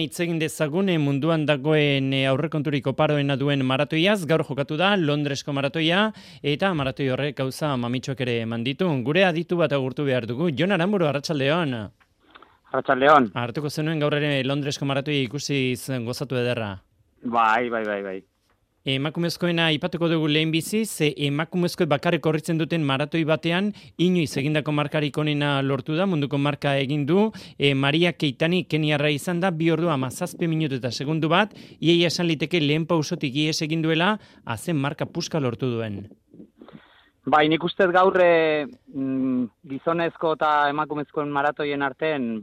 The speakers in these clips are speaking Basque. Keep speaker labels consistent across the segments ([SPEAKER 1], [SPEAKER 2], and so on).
[SPEAKER 1] Hitz egin dezagun munduan dagoen aurrekonturik oparoena duen maratoiaz, gaur jokatu da Londresko maratoia, eta maratoi horrek gauza mamitxoak ere eman ditu. Gure aditu bat agurtu behar dugu. Jon Aramburu, arratsaldeon.
[SPEAKER 2] Arratsaldeon.
[SPEAKER 1] Hartuko zenuen gaur ere Londresko maratoia ikusiz gozatu ederra.
[SPEAKER 2] Bai.
[SPEAKER 1] Emakumezkoena aipatuko dugu lehen biziz, emakumezko bakarrik korritzen duten maratoi batean, inoiz egindako markarik onena lortu da, munduko marka egin du, Maria Keitani keniarra izan da, 2 ordu 17 minutu eta segundu bat, iaia esan liteke lehen pausotik ies egin duela, azen marka puska lortu duen.
[SPEAKER 2] Bai, nik ustez gaur gizonezko eta emakumezkoen maratoien artean,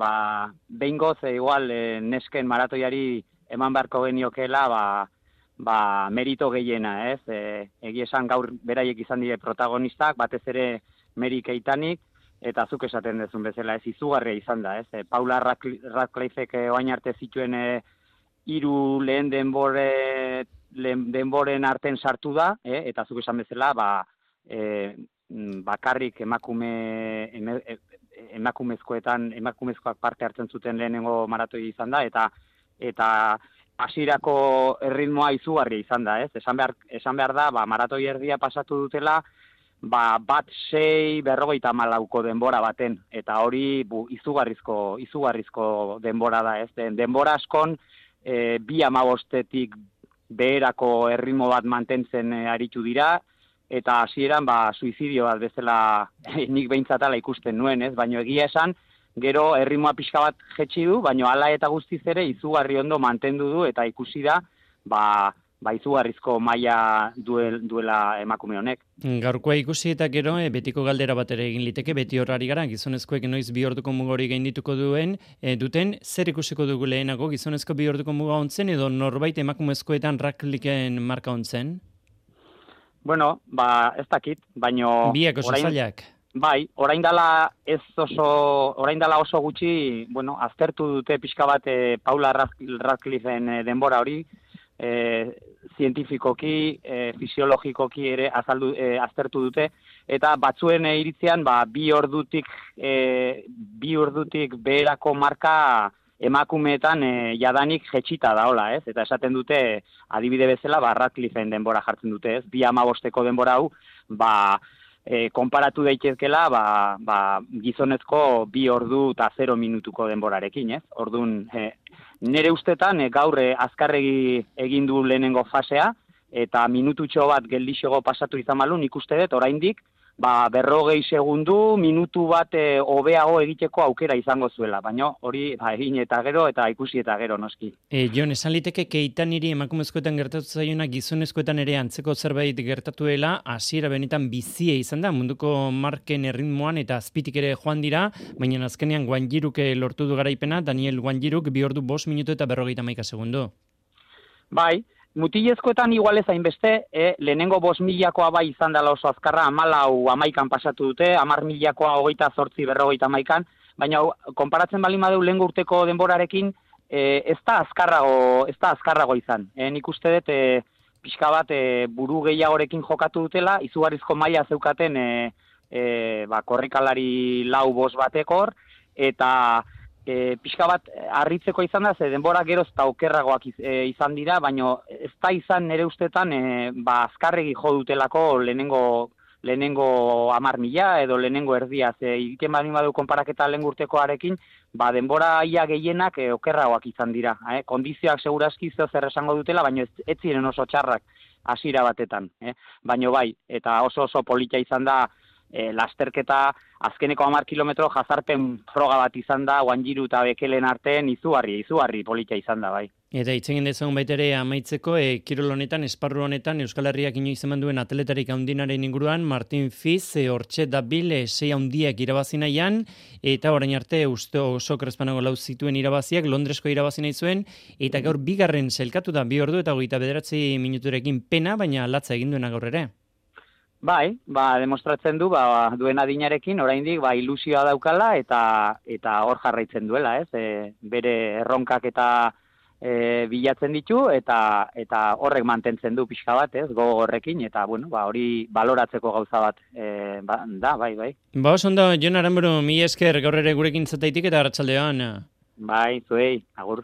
[SPEAKER 2] behingoz, igual, nesken maratoiari eman beharko geniokela, merito gehiena, ez? Egia esan gaur beraiek izan dire protagonistak, batez ere Mary Keitanik, eta zuk esaten dezun bezala, ez izugarria izan da, ez? Paula Radcliffek oain arte zituen 3 lehen denboren arten sartu da, eta zuk esan bezala, bakarrik emakumezkoak parte hartzen zuten lehenengo maratoi izan da, eta hasierako erritmoa izugarria izan da, ez? Esan behar da, maratoi erdia pasatu dutela, 1:06:54 denbora baten, eta hori izugarrizko denbora da, ez? Denbora askon 2:15-tik beherako erritmo bat mantentzen aritu dira, eta hasieran suizidio bat bezala nik behintzatala ikusten nuen, ez? Baina egia esan, gero erritmoa pixka bat jetxi du, baina hala eta guztiz ere izugarri ondo mantendu du eta ikusi da, izugarrizko maila duela emakume honek.
[SPEAKER 1] Gaurkoa ikusi eta gero, betiko galdera bat ere egin liteke, beti horari gara, gizonezkoek noiz 2 orduko mugori gaindituko duten, zer ikusiko dugu lehenago, gizonezko 2 orduko muga ontzen, edo norbait emakumezkoetan Radcliffen marka ontzen?
[SPEAKER 2] Bueno, ez dakit, baino...
[SPEAKER 1] Biak oso zailak.
[SPEAKER 2] Bai, orain dela oso gutxi, aztertu dute pixka bat Paula Radcliffen denbora hori, zientifikoki, fisiologikoki ere aztertu dute, eta batzuen iritzean 2 ordutik beherako marka emakumeetan jadanik jetxita daola, ez? Eta esaten dute, adibide bezala, Radcliffen denbora jartzen dute, ez? 2:15ko denbora hau, konparatu daitezkela gizonezko 2 ordu eta 0 minutuko denborarekin, ez? Orduan, nire ustetan gaur azkarregi egin du lehenengo fasea, eta minututxo bat geldixego pasatu izan malun, ikuste dut, oraindik, 40 segundu, minutu bat hobeago egiteko aukera izango zuela, baina hori egin eta gero eta ikusi eta gero noski.
[SPEAKER 1] Jon, esan liteke Keitaniri emakumezkoetan gertatu zaiona gizonezkoetan ere antzeko zerbait gertatuela, hasiera benetan bizia izan da, munduko marken erritmoan eta azpitik ere joan dira, baina azkenean Guanjiruk lortu du garaipena, Daniel Guanjiruk 2 ordu 5 minutu eta 51 segundu.
[SPEAKER 2] Bai, mutilezkoetan igual ez hainbeste, lehenengo 5.000koa bai izan dela oso azkarra, 14:11 pasatu dute, 10.000koa 28:51, baina konparatzen baldin badeu lehengo urteko denborarekin, ez da azkarrago izan. Nik uste dut pixka bat buru gehiagorekin jokatu dutela, izugarrizko maila zeukaten korrikalari 4:5 batekor, eta pixka bat harritzeko izan da, ze denbora geroz eta okerragoak izan dira, baina ez da izan nire ustetan azkarregi jo dutelako lehenengo 10.000 edo lehenengo erdia, ze egiten baldin badu konparaketa lehen urtekoarekin, denbora ia gehienak okerragoak izan dira. Kondizioak segurazki zer esango dutela, baina ez ziren oso txarrak hasiera batetan. Baina bai, eta oso polita izan da, lasterketa azkeneko 10 kilometro jazarpen froga bat izan da, Guanjiru eta Bekelen artean izugarri polita izan da, bai.
[SPEAKER 1] Eta itzegin dezagun baitere amaitzeko, kirol honetan, esparru honetan, Euskal Herriak inoiz eman duen atletarik handinaren inguruan, Martin Fiz, hortxe dabil, 6 handiak irabazi nahian, eta orain arte oso krespanago lau zituen irabaziak, Londresko irabazi nahi zuen, eta gaur bigarren selkatu da 2 ordu eta 29 minuturekin pena, bere latza egin duena gaur ere.
[SPEAKER 2] Bai, demostratzen du, duen adinarekin, oraindik ilusioa daukala eta hor jarraitzen duela, ez? Bere erronkak eta bilatzen ditu, eta horrek mantentzen du pixka bat, ez? Gogo horrekin, eta hori baloratzeko gauza bat da, bai.
[SPEAKER 1] Oso ondo, Jon Aramburu, mila esker gaur ere gurekin zataitik eta arratsaldeon.
[SPEAKER 2] Bai, zuei, agur.